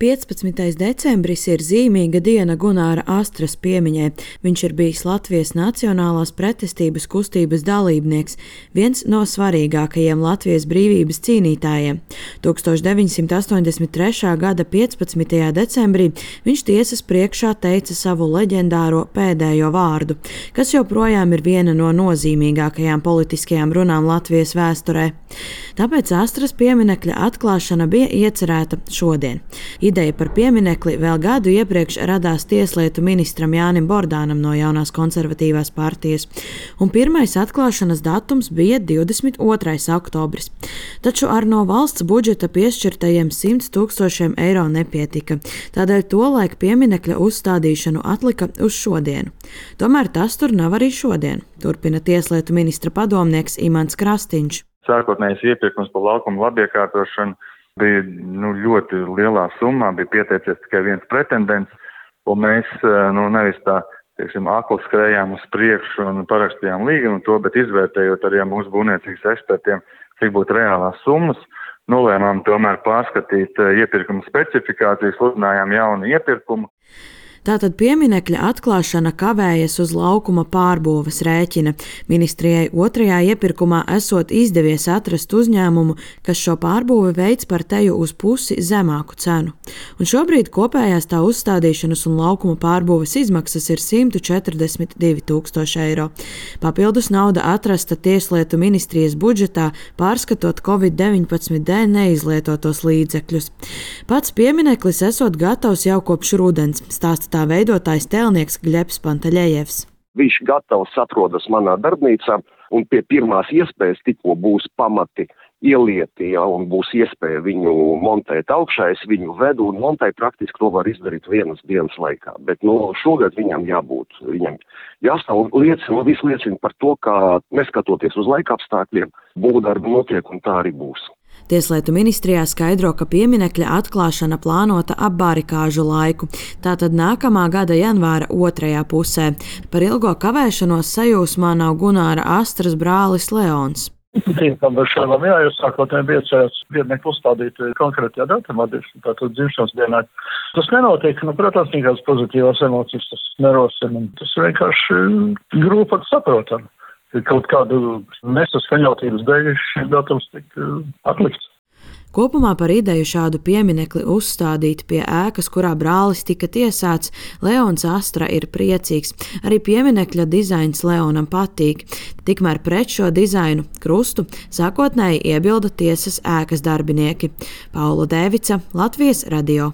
15. decembris ir zīmīga diena Gunāra Astras piemiņai. Viņš ir bijis Latvijas Nacionālās pretestības kustības dalībnieks, viens no svarīgākajiem Latvijas brīvības cīnītājiem. 1983. gada 15. decembrī viņš tiesas priekšā teica savu leģendāro pēdējo vārdu, kas joprojām ir viena no nozīmīgākajām politiskajām runām Latvijas vēsturē. Tāpēc Astras pieminekļa atklāšana bija iecerēta šodien. Ideja par pieminekli vēl gadu iepriekš radās tieslietu ministram Jānim Bordānam no Jaunās konservatīvās partijas, un pirmais atklāšanas datums bija 22. oktobris. Taču ar no valsts budžeta piešķirtajiem 100 000 eiro nepietika, tādēļ tolaik pieminekļa uzstādīšanu atlika uz šodienu. Tomēr tas tur nav arī šodien, turpina tieslietu ministra padomnieks Imants Krastīņš. Sākotnējais iepirkums par laukumu labiekārtošanu bija ļoti lielā summā, bija pieteicies tikai viens pretendents, un mēs nevis tā, akli skrējām uz priekšu un parakstījām līgumu to, bet izvērtējot arī mūsu būvniecības ekspertiem, cik būtu reālās summas, nolēmām tomēr pārskatīt iepirkuma specifikācijas, sludinājām jaunu iepirkumu. Tātad pieminekļa atklāšana kavējas uz laukuma pārbūves rēķina. Ministrijai otrajā iepirkumā esot izdevies atrast uzņēmumu, kas šo pārbūvi veids par teju uz pusi zemāku cenu. Un šobrīd kopējās tā uzstādīšanas un laukuma pārbūves izmaksas ir 142 000 eiro. Papildus nauda atrasta Tieslietu ministrijas budžetā, pārskatot Covid-19 dēļ neizlietotos līdzekļus. Pats piemineklis esot gatavs jau kopš rudens, stāsta tā veidotājs tēlnieks Gļebs Pantaļejevs. Viņš gatavs atrodas manā darbnīcā, un pie pirmās iespējas tikko būs pamati ielieti, un būs iespēja viņu montēt augšā, es viņu vedu un montēju, praktiski to var izdarīt vienas dienas laikā. Bet šogad viņam jābūt, viņam jāstāv liecina, viss liecina par to, ka neskatoties uz laika apstākļiem, būvdarbi notiek un tā arī būs. Tieslietu ministrijā skaidro, ka pieminekļa atklāšana plānota ap barikāžu laiku, tātad nākamā gada janvāra otrajā pusē. Par ilgo kavēšanos sajūsmā nav Gunāra Astras brālis Leons. Tīkam ar šādām jūs sākotnēji bija cerēts pieminekli uzstādīt konkrētajā datumā, tātad dzimšanas dienā. Tas nenotiek, protams, nekādas pozitīvās emocijas tas nerosina. Tas vienkārši grūti saprotam. Kaut kādu nesaskaņotības dēļ šis datums tika atlikts. Kopumā par ideju šādu pieminekli uzstādīt pie ēkas, kurā brālis tika tiesāts, Leons Astra ir priecīgs. Arī pieminekļa dizains Leonam patīk. Tikmēr pret šo dizainu krustu sākotnēji iebilda tiesas ēkas darbinieki. Paula Dēvica, Latvijas radio.